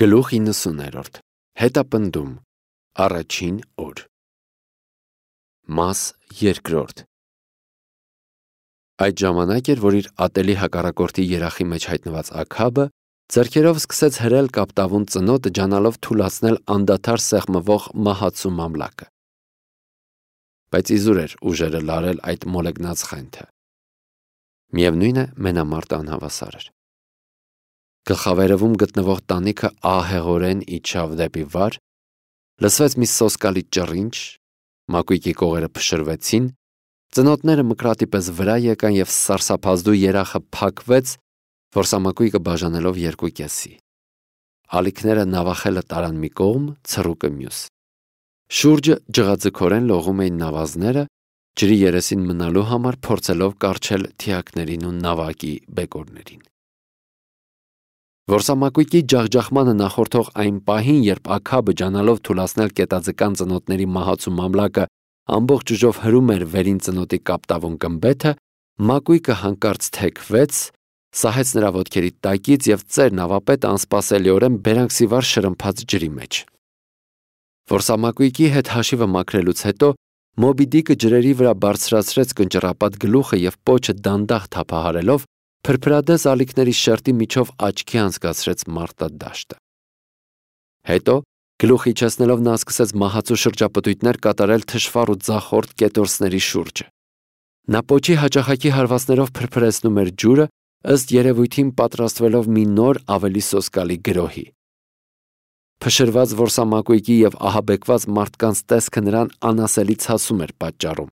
Գլուխ 90-րդ Հետապնդում Առաջին օր Մաս 2 Այդ ժամանակ էր, որ իր ատելի հակառակորդի երախի մեջ հայտնված Աքաբը ձեռքերով սկսեց հրել կապտավուն ծնոտը, ջանալով թուլացնել անդադար սեղմվող մահացու մամլակը։ Բայց իզուր էր ուժերը լարել այդ մոլեգնած խենթը։ Միևնույն է, մենամարտը անհավասար էր։ Գլխավերևում գտնվող տանիքը ահեղորեն իջավ դեպի վար, լսվեց մի սոսկալի ճռինչ, մակույկի կողերը փշրվեցին, ծնոտները մկրատի պես վրա եկան և սարսափազդու երախը փակվեց, որսամակույկը բաժանելով երկու կեսի։ Ալիքները նավախելը տարան մի կողմ, ցռուկը մյուս։ Շուրջը ջղաձգորեն լողում էին նավազները, ջրի երեսին մնալու համար փորձելով կառչել թիակներին ու նավակի բեկորներին։ Որսամակույկի ջախջախմանը նախորդող այն պահին, երբ Աքաբը ջանալով թուլացնել կետաձկան ծնոտների մահացու մամլակը ամբողջ ուժով հրում էր վերին ծնոտի կապտավուն գմբեթը, մակույկը հանկարծ թեքվեց, սահեց նրա ոտքերի տակից և ծեր նավապետը անսպասելիորեն բերանքսիվար շրմփաց ջրի մեջ։ Որսամակույկի հետ հաշիվը մաքրելուց հետո Մոբի Դիկը ջրերի վրա բարձրացրեց կնճռապատ գլուխը և պոչը դանդաղ թափահարելով փրփրադես ալիքների շերտի միջով աչքի անցկացրեց մարտադաշտը։ Հետո, գլուխ իջեցնելով նա սկսեց մահացու շրջապտույտներ կատարել թշվառ ու ձախորդ կետորսների շուրջը։ Նա պոչի հաճախակի հարվածներով փրփրեցնում էր ջուրը, ըստ երևույթին պատրաստվելով մի նոր ավելի սոսկալի գրոհի։ Փշրված որսամակույկի և ահաբեկված մարդկանց տեսքը նրան անասելի ցասում էր պատճառում։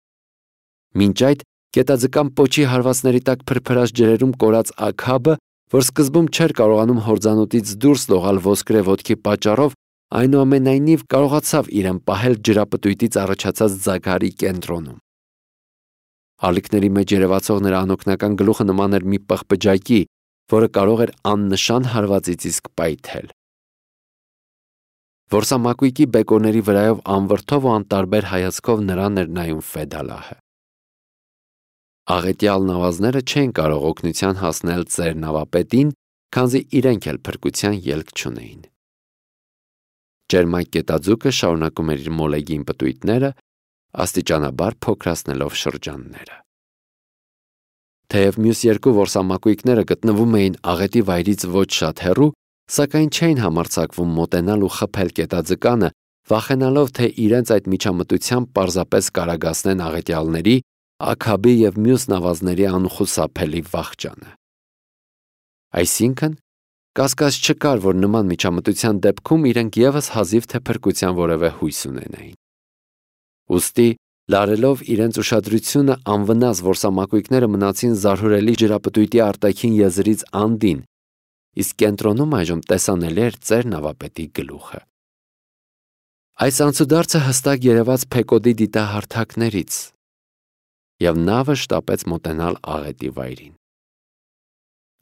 Մինչ այդ կետաձկան պոչի հարվածների տակ փրփրած ջրերում կորած Աքաբը, որ սկզբում չէր կարողանում հորձանուտից դուրս լողալ ոսկրե ոտքի պատճառով, այնուամենայնիվ կարողացավ իրեն պահել ջրապտույտից առաջացած ձագարի կենտրոնում։ Ալիքների մեջ երևացող նրա անօգնական գլուխը նման էր մի պղպջակի, որը կարող էր աննշան հարվածից իսկ պայթել։ Որսամակույկի բեկորների վրայով անվրդով ու անտարբեր հայացքով նրան էր նայում Ֆեդալահը։ Աղետյալ նավազները չէին կարող օգնության հասնել ծեր նավապետին, քանզի իրենք էլ փրկության ելք չունեին։ Ջերմակ կետաձուկը շարունակում էր իր մոլեգին պտույտները, աստիճանաբար փոքրացնելով շրջանները։ Թեև մյուս երկու որսամակույկները գտնվում էին աղետի վայրից ոչ շատ հեռու, սակայն չէին համարձակվում մոտենալ ու խփել կետաձկանը, վախենալով, թե իրենց այդ միջամտությամբ պարզապես կարագացնեն աղետյալների, Աքաբի և մյուս նավազների անխուսափելի վախճանը։ Այսինքն, կասկած չկար, որ նման միջամտության դեպքում իրենք ևս հազիվ թե փրկության որևէ հույս ունենային։ Ուստի, լարելով իրենց ուշադրությունը, անվնաս որսամակույկները մնացին զարհուրելի ջրապտույտի արտաքին եզրից անդին, իսկ կենտրոնում այժմ տեսանելի էր ծեր նավապետի գլուխը։ Այս անցուդարձը հստակ երևաց Փեկոդի դիտահարթակներից, և նավը շտապեց մոտենալ աղետի վայրին։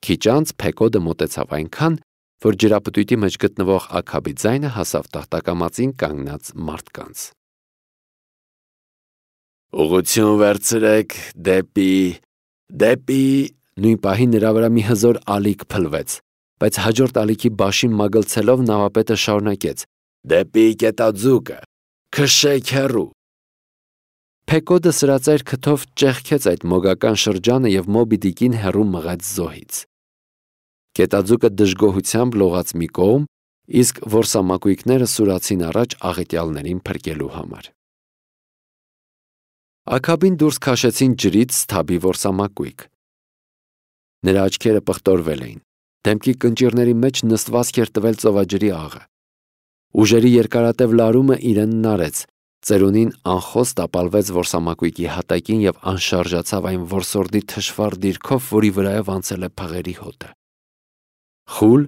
Քիչ անց Փեկոդը մոտեցավ այնքան, որ ջրապտույտի մեջ գտնվող Աքաբի ձայնը հասավ տախտակամածին կանգնած մարդկանց։ Ուղղություն վերցրեք դեպի… Նույն պահին նրա վրա մի հզոր ալիք փլվեց, բայց հաջորդ ալիքի բաշին մագլցելով նավապետը շարունակեց. «Դեպի կետաձուկը, քշեք հեռու»։ Փեկոդը սրածայր քթով ճեղքեց այդ մոգական շրջանը և Մոբի Դիկին հեռու մղեց զոհից։ Կետաձուկը դժգոհությամբ լողաց մի կողմ, իսկ որսամակույկները սուրացին առաջ աղետյալներին փրկելու համար։ Աքաբին դուրս քաշեցին ջրից սթաբի որսամակույկ։ Նրա աչքերը պղտորվել էին, դեմքի կնճիռների մեջ նստվածք էր տվել ծովաջրի աղը։ Ուժերի երկարատև լարումը իրեն նարեց, ծերունին անխոս տապալվեց որսամակույկի հատակին և անշարժացավ այն որսորդի թշվառ դիրքով, որի վրայով անցել է փղերի հոտը։ Խուլ,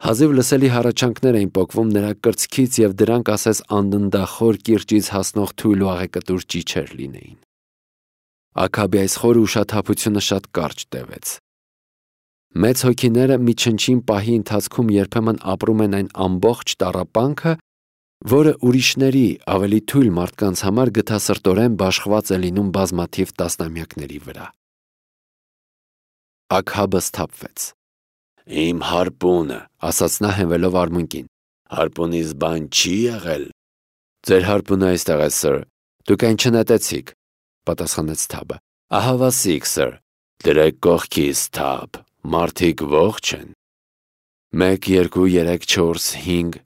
հազիվ լսելի հառաչանքներ էին պոկվում նրա կրծքից և դրանք ասես անդնդախոր կիրճից հասնող թույլ ու աղեկտուր ճիչեր լինեին։ Աքաբի այս խորը ուշաթափությունը շատ կարճ տևեց։ Մեծ հոգիները մի չնչին պահի ընթացքում երբեմն ապրում են այն ամբողջ տառապանքը, որը ուրիշների, ավելի թույլ մարդկանց համար գթասրտորեն բաշխված է լինում բազմաթիվ տասնամյակների վրա։ Աքաբը սթափվեց։ «Իմ հարպունը», ասաց նա հենվելով արմունկին, Հարպունից բան չի եղել։ Ձեր հարպունը այստեղ է, սր։ Դուք այն չնետեցիք, պատասխանեց Թաբը։ Ահավասիկ, սր։ Դրեք կողքից, Թաբ, մարդիկ ողջ են։ 1, 2, 3, 4, 5։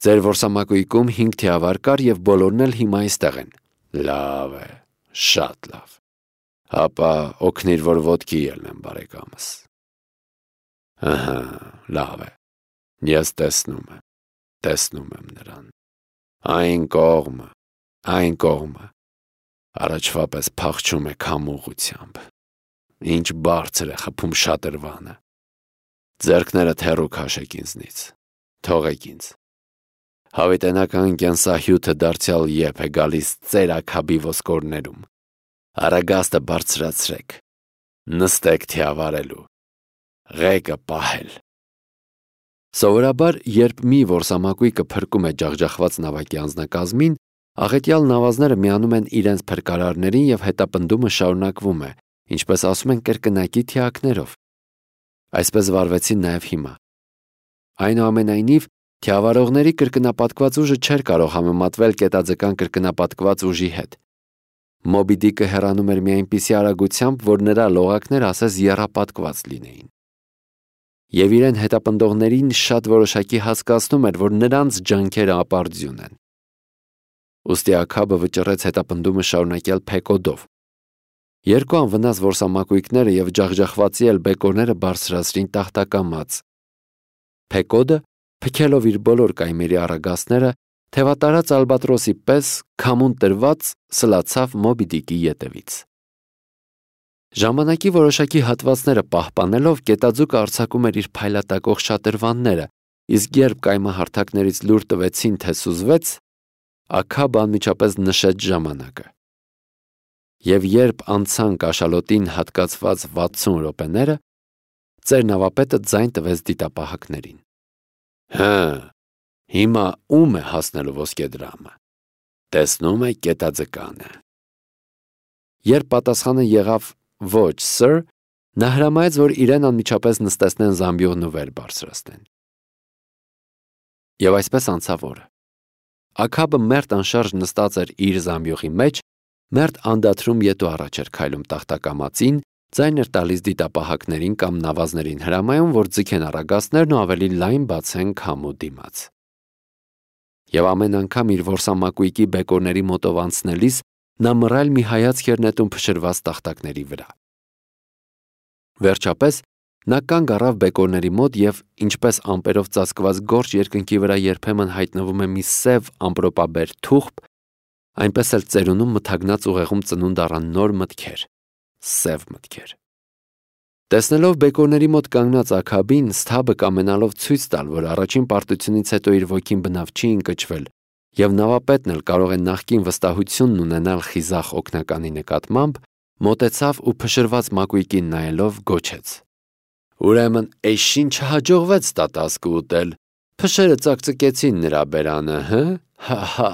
Ձեր որսամակույկում 5 թիավար կար և բոլորն էլ հիմա այստեղ են։ Լավ է, շատ լավ։ Հապա օգնիր, որ ոտքի ելնեմ, բարեկամս։ Ահա, լավ է։ Ես տեսնում եմ նրան։ Այն կողմը։ Առաջվա պես փախչում է քամուղությամբ։ Ինչ բարձր է խփում շատրվանը։ Ձեռքներդ հեռու քաշեք ինձնից, թողեք ինձ։ Հավիտենական կենսահյութը դարձյալ եփ է գալիս ծեր աքաբի ոսկորներում։ Արագաստը բարձրացրեք, նստեք թիավարելու, ղեկը պահել։ Սովորաբար, երբ մի որսամակույկը փրկում է ջախջախված նավակի անձնակազմին, աղետյալ նավազները միանում են իրենց փրկարարներին և հետապնդումը շարունակվում է, ինչպես ասում են կրկնակի թիակներով։ Այսպես վարվեցին նաև հիմա։ Այնուամենայնիվ, թիավարողների կրկնապատկված ուժը չէր կարող համեմատվել կետաձկան կրկնապատկված ուժի հետ։ Մոբի Դիկը հեռանում էր մի այնպիսի արագությամբ, որ նրա լողակները ասես եռապատկված լինեին։ Եվ իրեն հետապնդողներին շատ որոշակի հասկացնում էր, որ նրանց ջանքերը ապարդյուն են։ Ուստի Աքաբը վճռեց հետապնդումը շարունակել Փեկոդով։ Երկու անվնաս որսամակույկները և ջախջախվածի էլ բեկորները բարձրացրին տախտակամած։ Փեկոդը, փքելով իր բոլոր կայմերի առագաստները, թևատարած ալբատրոսի պես քամուն տրված սլացավ Մոբի Դիկի ետևից։ Ժամանակի որոշակի հատվածները պահպանելով կետաձուկը արձակում էր իր փայլատակող շատրվանները, իսկ երբ կայմահարթակներից լուր տվեցին, թե սուզվեց, Աքաբը անմիջապես նշեց ժամանակը։ Եվ երբ անցան կաշալոտին հատկացված 60 րոպեները, ծեր նավապետը ձայն տվեց դիտապահակներին։ Հիմա ում է հասնելու ոսկեդրամը։ Տեսնում եք կետաձկանը։ Երբ պատասխանը եղավ ոչ, սր, նա հրամայեց, որ իրեն անմիջապես նստեցնեն զամբյուղն ու վեր բարձրացնեն։ Եվ այսպես անցավ օրը։ Աքաբը մերթ անշարժ նստած էր իր զամբյուղի մեջ, մերթ անդադրում ետ ու առաջ էր քայլում տախտակամածին, ձայն էր տալիս դիտապահակներին կամ նավազներին հրամայում, որ ձգեն առագաստներն ու ավելի լայն բացեն քամու դիմաց։ Եվ ամեն անգամ իր որսամակույկի բեկորների մոտով անցնելիս նա մռայլ մի հայացք էր նետում փշրված տախտակների վրա։ Վերջապես նա կանգ առավ բեկորների մոտ և, ինչպես ամպերով ծածկված գորշ երկնքի վրա երբեմն հայտնվում է մի սև ամպրոպաբեր թուղթ, այնպես էլ ծերունում մթագնած ուղեղում ծնունդ առան նոր մտքեր, սև մտքեր։ Տեսնելով բեկորների մոտ կանգնած Աքաբին, Սթաբը կամենալով ցույց տալ, որ առաջին պարտությունից հետո իր ոգին բնավ չի ընկճվել, և նավապետն էլ կարող է նախկին վստահությունն ունենալ խիզախ օգնականի նկատմամբ, մոտեցավ ու փշրված մակույկին նայելով գոչեց. Ուրեմն էս ինչ չհաջողվեց տատասկը ուտել, փշերը ծակծկեցին նրա բերանը, հա։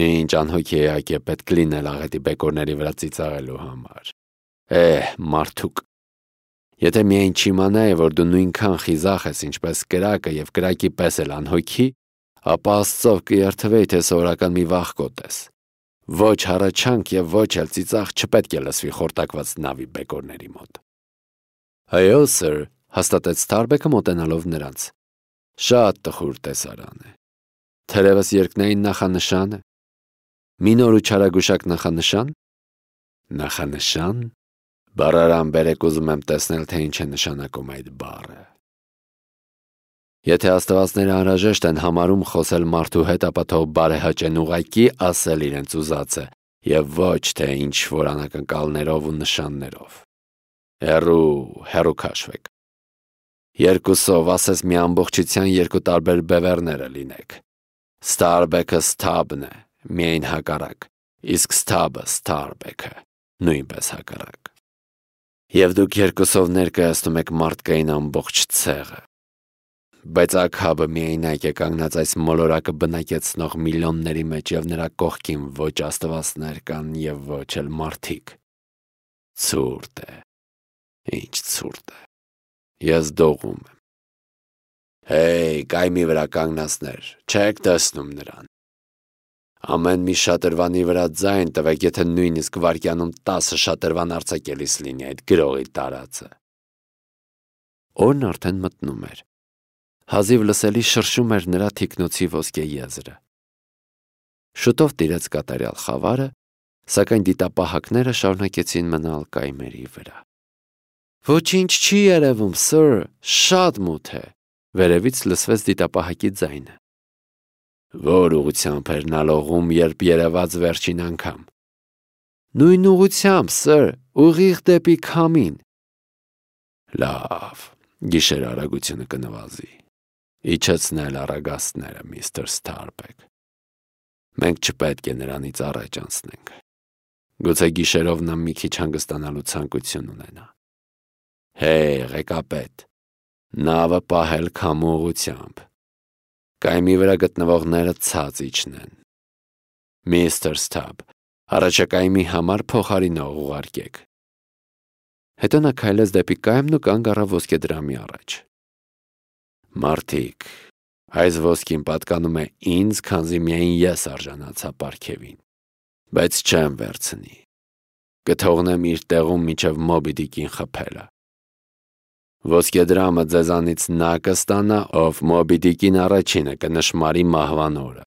Ինչ անհոգեակ է պետք լինել աղետի բեկորների վրա ծիծաղելու համար։ Մարդուկ, եթե միայն չիմանայի, որ դու նույնքան խիզախ ես, ինչպես կրակը և կրակի պես էլ անհոգի, ապա Աստծով կերթվեի, թե սովորական մի վախկոտ ես։ Ոչ հառաչանք և ոչ էլ ծիծաղ չպետք է լսվի խորտակված նավի բեկորների մոտ։ Այո, սր, հաստատեց Սթարբեքը մոտենալով նրանց։ Շատ տխուր տեսարան է։ Թերևս երկնային նախանշան է։ Մի նոր ու չարագուշակ նախանշան։ Նախանշան։ Բառարան բերեք, ուզում եմ տեսնել, թե ինչ է նշանակում այդ բառը։ Եթե աստվածները անհրաժեշտ են համարում խոսել մարդու հետ, ապա թող բարեհաճեն ուղղակի ասել իրենց ուզածը և ոչ թե ինչ-որ անակնկալներով ու նշաններով։ Հեռու քաշվեք։ Երկուսով, ասես մի ամբողջության երկու տարբեր բևեռները լինեք։ Սթարբեքը Սթաբն է, միայն հակառակ, իսկ Սթաբը Սթարբեքը, նույնպես հակառակ։ Եվ դուք երկուսով ներկայացնում եք մարդկային ամբողջ ցեղը։ Բայց Աքաբը միայնակ է կանգնած այս մոլորակը բնակեցնող միլիոնների մեջ և նրա կողքին ոչ աստվածներ կան և ոչ էլ մարդիկ։ Ցուրտ է, ինչ ցուրտ է։ Ես դողում եմ։ Հեյ, կայմի վրա կանգնածներ, չեք տեսնում նրան։ Ամեն մի շատրվանի վրա ձայն տվեք, եթե նույնիսկ վայրկյանում 10 շատրվան արձակելիս լինի այդ գրողի տարածը։ Օրն արդեն մտնում էր։ Հազիվ լսելի շրշում էր նրա թիկնոցի ոսկե եզրը։ Շուտով տիրեց կատարյալ խավարը, սակայն դիտապահակները շարունակեցին մնալ կայմերի վրա։ Ոչինչ չի երևում, սըր, շատ մութ է, վերևից լսվեց դիտապահակի ձայնը։ Որ ուղղությամբ էր նա լողում, երբ երևաց վերջին անգամ։ Նույն ուղղությամբ, սըր, ուղիղ դեպի քամին։ Լավ, գիշեր արագությունը կնվազի։ Իջեցնել առագաստները, միստր Սթարբեք։ Մենք չպետք է նրանից առաջ անցնենք։ Գուցե գիշերով նա մի քիչ հանգստանալու ցանկություն ունենա։ Հեյ, ղեկապետ, նավը պահել քամու ուղղությամբ։ Կայմի վրա գտնվողները ցած իջնեն։ Միստր Սթաբ, առաջակայմի համար փոխարինող ուղարկեք։ Հետո նա քայլեց դեպի կայմն ու կանգ առավ ոսկեդրամի առաջ։ Մարդիկ, այս ոսկին պատկանում է ինձ, քանզի միայն ես արժանացա պարգևին, բայց չեմ վերցնի։ Կթողնեմ իր տեղում մինչև Մոբի Դիկին խփելը։ Ոսկեդրամը ձեզանից նա կստանա, ով Մոբի Դիկին առաջինը կնշմարի մահվան օրը։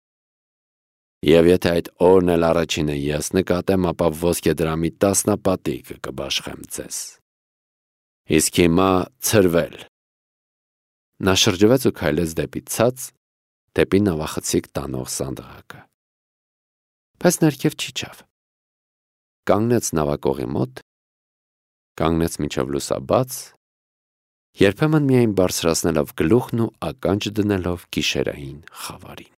Եվ եթե այդ օրն էլ առաջինը ես նկատեմ, ապա ոսկեդրամի տասնապատիկը կբաշխեմ ձեզ։ Իսկ հիմա ցրվել։ Նա շրջվեց ու քայլեց դեպի ցած, դեպի նավախցիկ տանող սանդղակը։ Բայց ներքև չիջավ։ Կանգնեց նավակողի մոտ, կանգնեց մինչև լուսաբաց, երբեմն միայն բարձրացնելով գլուխն ու ականջ դնելով գիշերային խավարին։